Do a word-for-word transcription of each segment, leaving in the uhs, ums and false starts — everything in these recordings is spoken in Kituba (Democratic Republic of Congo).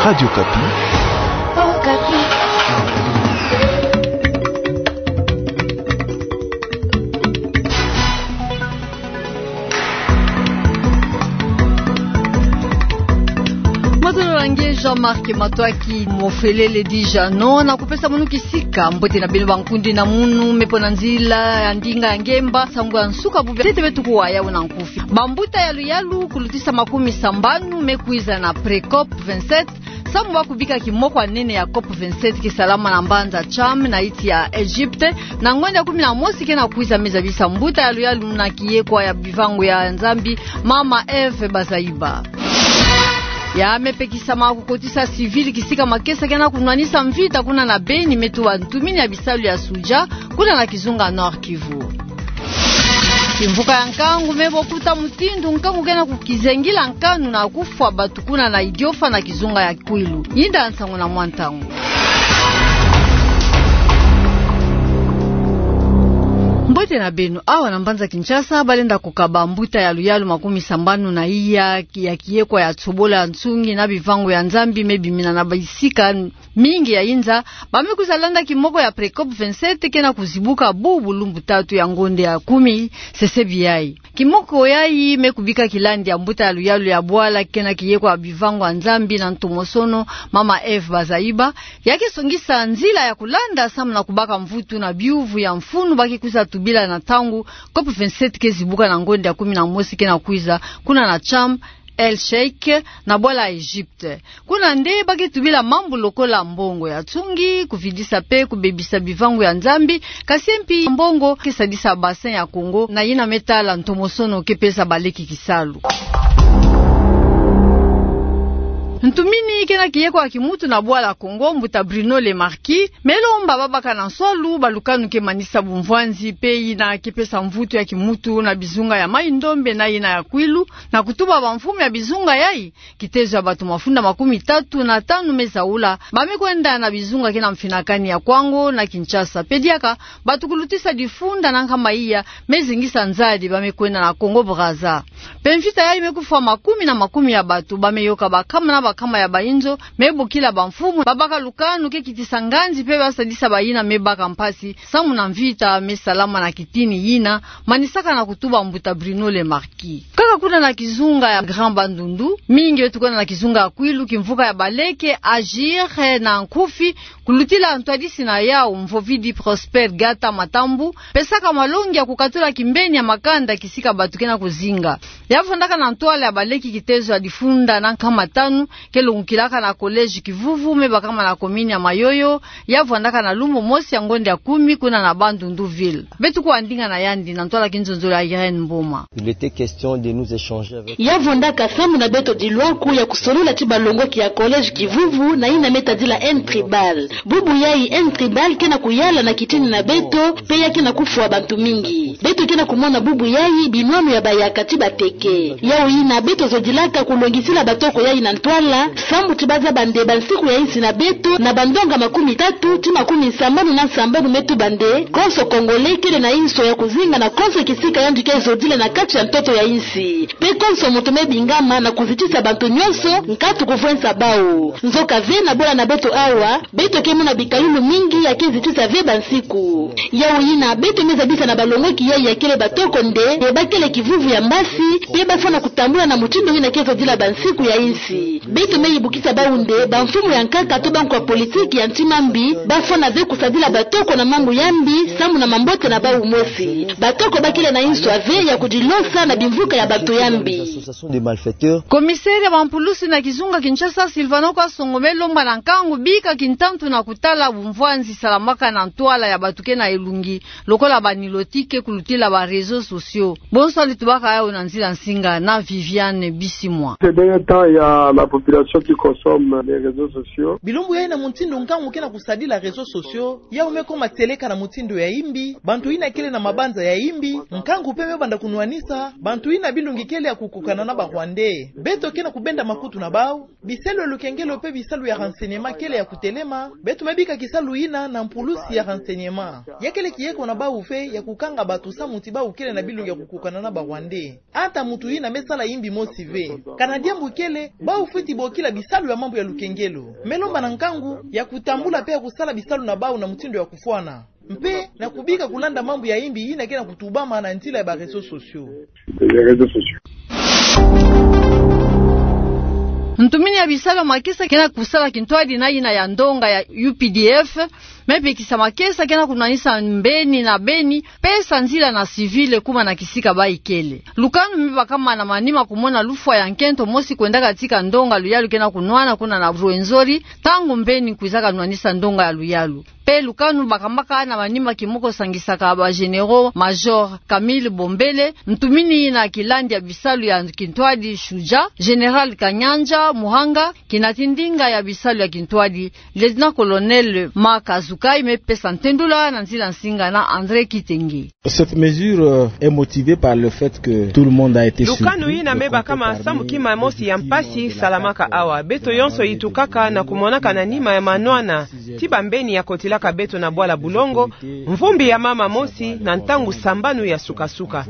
Radio Okapi. Matondo na nge Jean-Marc Matsoua ki Mofelele Dijano, na kupesa munu kisika. Mbote na beno bankundi na munu me pona nzila ya ndinga ya ngemba, nsangu ya nsuka bubu ya ntete beto kuwa yawu na nkufi. Bambuta ya luyalu kulutisa makumi sambanu me kwiza na Precop vingt-sept, samu ba kubika kimoko ya nene ya Cop vingt-sept ke salama na mbanza Cham na iti ya Egypte, na ngonda ya kumi na mosi ke na kwiza. Me zabisa mbuta ya luyalu na kiyekwa ya bivangu ya Nzambi, mama Eve Bazaiba. Ya me pekisa ma kukotisa civil kisika makesa ke na kunwanisa mvita kuna na Beni, me tuba ntumini ya bisalu ya Sudja, kuna na kizunga Nord-Kivu. Kimvuka ya nkangu me bokuta mutindu nkangu ke na kukizengila nkanu na kufwa batu kuna na Idiofa na kizunga ya Kwilu. Yinda nsangu na mwa ntangu. Mbote na beno. Awa na mbanza Kinshasa, balenda kukaba mbuta ya luyalu makumi sambanu na iya ya kiyekwa ya tsobola nsungi na bivangu ya Nzambi me bimina na bisika mingi ya inza, ba me kwiza landa kimoko ya Precop vingt-sept ke na kuzibuka bubu lumbu tatu ya ngonda ya kumi, sesebi yayi. Kimoko yayi me kubika kilandi ya mbuta ya luyalu ya bwala ke na kiyekwa ya bivangu ya Nzambi na ntomosono, mama Eve Bazaiba, ya ke songisa nzila ya kulanda samu na kubaka mvutu na biuvu ya mfunu ba ke kwiza tubila na ntangu Cop vingt-sept ke zibuka na ngonda ya kumi na mosi ke na kwiza, kuna na Cham El Sheikh, na bwala Egypte. Kuna nde ba ke tubila mambu lokola mbongo ya nsungi, kuvidisa pe kubebisa bivangu ya Nzambi, kasi mpi mbongo ke sadisa Bassin ya Congo na yina me tala ntomosono ke pesa baleki kisalu. Ntumini ke na kiyekwa ya kimutu na bwala Congo, mbuta Bruno Le Marquis, me lomba babaka na nswalu balukanu ke manisa bumvwanzi pe yina ke pesa mvutu ya kimutu na bizunga ya Mai-Ndombe na yina ya Kwilu, na kutuba bamfumu ya bizunga yayi, kitezo ya batu mafunda makumi tatu na tanu me zaula, ba me kwenda na bizunga ke na mfinakani ya Kwango na Kinshasa. Pe diaka, batu kulutisa difunda na nkama iya me zingisa nzadi, ba me kwenda na Congo Brazza. Pe mvita yayi me kufwa makumi na makumi ya batu, ba me yoka bakama na bakama ya bayinzo me bokila bamfumu babaka lukanu ke kitisa nganzi pe basadisa bayina me baka mpasi, samu na mvita me salama na kitini yina, manisaka na kutuba mbuta Bruno Le Marquis. Kaka kuna na kizunga ya Grand Bandundu, mingi beto kwenda na kizunga ya Kwilu, kimvuka ya baleke Agir, eh, na nkufi, kulutila ntwadisi na yawu, mvovidi Prosper Gata Matambu, pesaka malongi ya kukatula kimbeni ya makanda kisika batu ke na kuzinga. Ya vwandaka na ntwala ya baleki kitezo ya difunda na nkama tanu, ke longokilaka na collège Kivuvu, me bakama na commune ya Mayoyo, ya vwandaka na lumbu mosi ya ngonda ya kumi kuna na Bandundu ville. Beto kuwa ndinga na yandi na ntwala kinzonzolo ya Irène Mboma. Il était question de nous échanger avec... Ya vwandaka samu na beto dilwaku ya kusolola ti balongoki ya collège Kivuvu na yina me tadila haine tribale. Bubu yayi haine tribale ke na kuyala na kitini na beto, pe ya ke na kufwa bantu mingi. Beto ke na kumona bubu yayi binwanu ya bayaka ti bateke. Yawu yina beto zodilaka kulongisila batoko yayi na ntwala, samu ti bazaba nde bansiku ya insi na beto na bandonga makumi tatu ti makumi sambanu na sambanu me tuba nde konso Congolais kele na inso ya kuzinga na konso kisika yandi ke zodila na kati ya ntoto ya insi. Pe konso muntu me bingama na kuzitisa bantu nyonso nkatu kuvwensa bawu. Nzoka ve na bola na beto awa, beto ke mona bikayulu mingi ya ke zitisa ve bansiku. Yawu yina, beto me zabisa na balongoki yayi ya kele batoko nde, nde bakele kivuvu ya mbasi, pe bafwana kutambula na mutindu yina ke zodila bansiku ya insi. Beto me yibukisa bawu nde, bamfumu ya nkaka to bankwa politiki ya ntima mbi, bafwana ve kusadila batoko na mambu ya mbi, samu na mambote na bawu mosi. Batoko bakele na inso ya ve ya kudilosa na bimvuka ya bantu ya mbi. Association des malfaiteurs. Commissaire ya bampulusi na kizunga Kinshasa, Sylvano Kasongo, me lomba na nkangu bika kintantu na kutala bumvwanzi salamaka na ntwala ya batu ke na elungi, lokola banilotike kulutila ba réseaux sociaux. Bonso ali tubaka yawu na nzila nsinga na Viviane Bisimwa. Ces derniers temps, il y a la population qui consomme les réseaux sociaux. Bilumbu yayi na mutindu nkangu ke na kusadila réseaux sociaux, yawu me koma seleka na mutindu ya imbi, bantu yina kele na mabanza ya imbi, nkangu pe me banda kunwanisa, bantu yina bilungi kele ya kukokana na ba Rwandais. Beto ke na kubenda makutu na bawu, bisalu ya lukengelo pe bisalu ya renseignement kele ya kutelema, beto me bika kisalu yina na mpulusi ya renseignement. Ya kele kieko na bawu ve ya kukanga bantu samu ti bawu kele na bilungi ya kukokana na ba Rwandais. Ata muntu yina me sala imbi mosi ve. Kana diambu kele, bawu fweti bokila bisalu ya mambu ya lukengelo. Me lomba na nkangu ya kutambula pe ya kusala bisalu na bau na mutindu ya kufwana. Mpe na kubika kulanda mambu ya imbi yina ke na kutubama na nzila ya ba réseaux sociaux. Ntumini ya bisalu ya makesa ke na kusala kintwadi na yina ya ndonga ya U P D F, me pekisa makesa ke na kunwanisa mbeni na beni, pesa nzila na civil kuma na kisika bayi kele. Lukanu me bakama na manima kumona lufwa ya nkento mosi kwendaka tika ndonga luyalu ke na kunwana kuna na Rwenzori, ntangu mbeni kwizaka nwanisa ndonga ya luyalu. Pe lukanu bakambaka na manima kimoko sangisaka ba généraux major Camille Bombele, ntumini na kilandi ya bisalu ya kintwadi Shuja, général Kanyanja Muhanga, kinatindinga ya bisalu ya kintwadi, lieutenant-colonel Ma Kazukai, me pesa ntendula na nzila nsinga na André Kitenge. Cette mesure, euh, est motivée par le fait que tout le monde a été surpris. Lukanu yina me bakama sambu kima mosi ya mpasi salamaka awa. Beto yonso yitukaka na kumonaka na nima ya manwana ti bambeni ya kotilaka beto na bwala Bulongo, mvumbi ya mama mosi na ntangu sambanu ya sukasuka.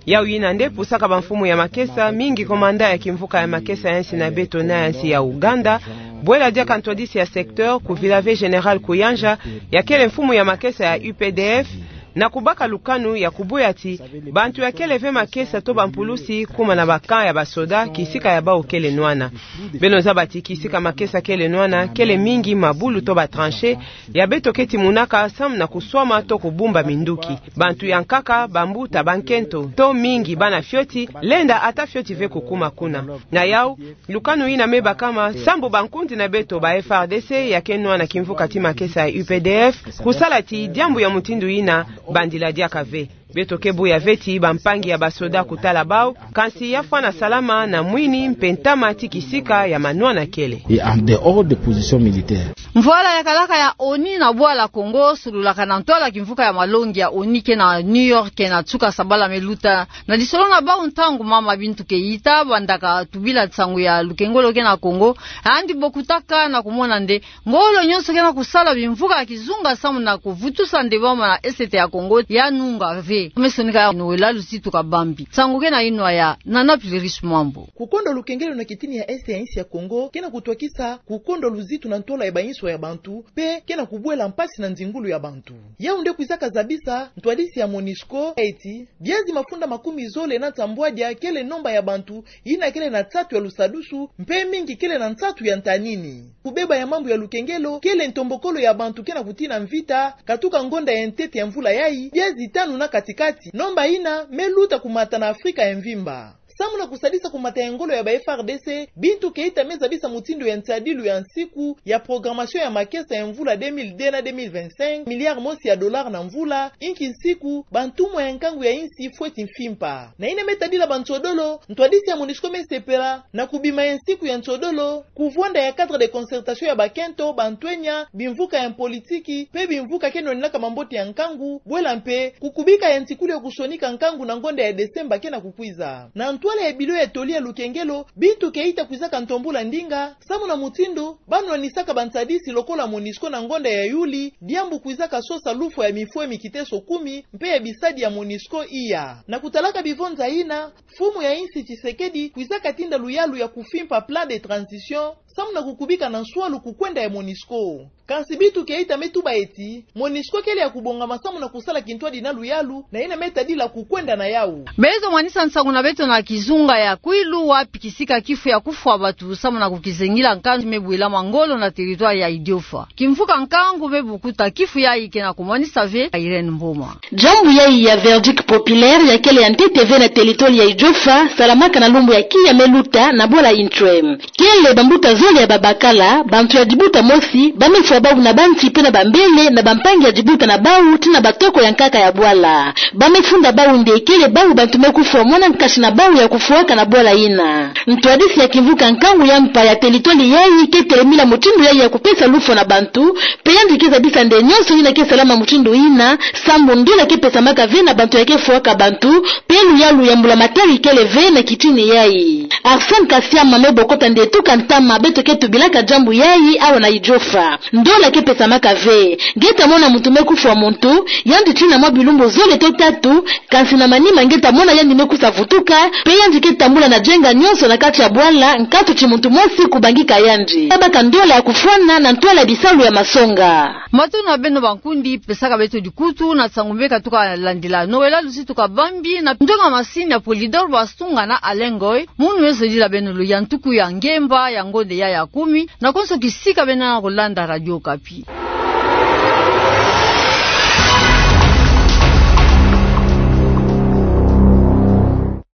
Yau yina nde pusaka bamfumu ya makesa, mingi commandant ya kimvuka ya makesa ya nsi na beto na ya nsi ya Ouganda, bwela diaka ntwadisi ya secteur, kuvila ve général Kuyanja, ya kele mfumu ya makesa ya U P D F, na kubaka lukanu ya kubuya ti bantu ya kele ve makesa to bampulusi kuma na ba camp ya basoda, kisika ya bau kele nwana. Beno zaba ti kisika makesa kele nwana kele mingi mabulu to ba tranchées, ya beto keti monaka samu na kuswama to kubumba minduki. Bantu ya nkaka, bambuta, bankento, to mingi bana fioti, lenda ata fioti ve kukuma kuna. Na yau, lukanu yina me bakama sambu bankundi na beto ba F A R D C ya ke nwana kimvuka ti makesa ya U P D F, kusala ti diambu ya mutindu yina bandila diaka ve. Beto ke buya ve ti bampangi ya basoda kutala bau, kansi ya fwana salama na mwini mpe ntama ti kisika ya manwana kele. Et en dehors des positions militaires. Mvwala ya kalaka ya ONU na bwala Kongo, sululaka na ntwala kimvuka ya malongi ya ONU ke na New York, ke na nsuka sabala me luta. Na lisolo na bau ntangu mama Bintou Keita, bandaka tubila nsangu ya lukengolo ke na Kongo, yandi bokutaka na kumona nde ngolo nyonso ke na kusala bimvuka ya kizunga samu na kuvutusa nde bama na Est ya Kongo ya nunga ve. Me sonika ya nowela luzitu kabambi. Nsangu ke na inwa ya Nana Plurish Mwambo. Kukondo lukengelo na kitini ya Est ya insi ya Kongo ke na kutwakisa kukondo luzitu na ntwala ya bainso ya bantu, mpe ke na kubwela mpasi na nzingulu ya bantu. Yau nde kwizaka zabisa ntwadisi ya MONUSCO eti biazi mafunda makumi zole na nsambwadia kele nomba ya bantu yina kele na nsatu ya lusadusu, mpe mingi kele na nsatu ya ntanini. Kubeba ya mambu ya lukengelo kele ntombokolo ya bantu ke na kutina mvita, katuka ngonda ya ntete ya mvula yayi, biazi tanu na katikati, nomba yina me luta kumata na Afrika ya mvimba. Samu na kusadisa kumata ya ngolo ya ba F A R D C, Bintou Keita me zabisa mutindu ya nsadilu ya nsiku ya programmation ya makesa ya mvula deux mille deux na deux mille vingt-cinq, milliard mosi ya dollars na mvula, inki nsiku bantumwa ya nkangu ya insi fweti mfimpa. Na yina me tadila bansodolo, ntwadisi ya MONUSCO me sepela na kubima ya nsiku ya nsodolo ku vwanda ya cadre de concertation ya bakento, bantwenya, bimvuka ya mpolitiki, mpe bimvuka ke nwanenaka mambote ya nkangu, bwela mpe kukubika ya ntikulu ya kusonika nkangu na ngonda ya Desemba ke na kukwiza. Na ntwala ya bilo ya toli ya lukengelo, Bintou Keita kwizaka ntombula ndinga, samu na mutindu ba nwanisaka bansadisi lokola MONUSCO na ngonda ya Yuli, diambu kwizaka sosa lufwa ya mifwa ya mikiteso kumi, mpe ya bisadi ya MONUSCO iya. Na kutalaka bivonza yina, mfumu ya insi Tshisekedi kwizaka tinda luyalu ya kufimpa plan de transition, samu na kukubika na nswalu kukwenda ya MONUSCO. Kansi Bintou Keita me tuba eti, MONUSCO kele ya kubongama samu na kusala kintwadi na luyalu, na yina me tadila kukwenda na yau. Beto mwanisa nsangu na beto na kizunga ya Kwilu, wapi kisika kifu ya kufwa bantu samu na kukizengila nkangu me bwelama ngolo na territoire ya Idiofa. Kimvuka nkangu me bukuta kifu yayi ke na kumwanisa ve Irène Mboma. Diambu yayi ya verdict populaire ya kele ya ntete ve na territoire ya Idiofa, salamaka na lumbu ya kiya me luta na bwala Intwem. Kele bambuta zole ya babakala, bantu ya dibuta mosi, ba me fwa bau na banti mpe na bambele na bampangi ya dibuta na bau, tii na batoko ya nkaka ya bwala. Ba me funda bau nde kele bau bantu me kufwa mwana nkasi na bau ya kufwaka na bwala yina. Ntwadisi ya kimvuka nkangu ya mpa ya territoire yayi ke telemila mutindu yayi ya kupesa lufwa na bantu, mpe yandi ke zabisa nde nyonso yina ke salama mutindu yina, sambu ndola ke pesamaka ve na bantu ya ke fwaka bantu, mpe luyalu ya mbulamatari kele ve na kitini yayi. Arsène Kasiama me bokota nde tuka ntama beto Toko tubilaka diambu yayi awa na Idjofa. Ndola ke pesamaka ve. Nge ta mona muntu me kufwa muntu, yandi tina mwa bilumbu zole to tatu, kansi na manima nge ta mona yandi me kusa vutuka, mpe yandi ke tambula na dienga nyonso na kati ya bwala, nkatu ti muntu mosi kubangika yandi. Tabaka ndola ya kufwana na ntwala ya bisalu ya masonga. Matondo na beno bankundi, pesaka beto dikutu na nsangu meka tuka landila. Noëlla Lusitu Kabambi na ndonga masini ya Polydor Basunga na Alain Ngoy, munu me zodila beno lo ya ntuku ya ngemba ya ngonde ya ya kumi, na konso kisika beno na kulanda Radio Okapi.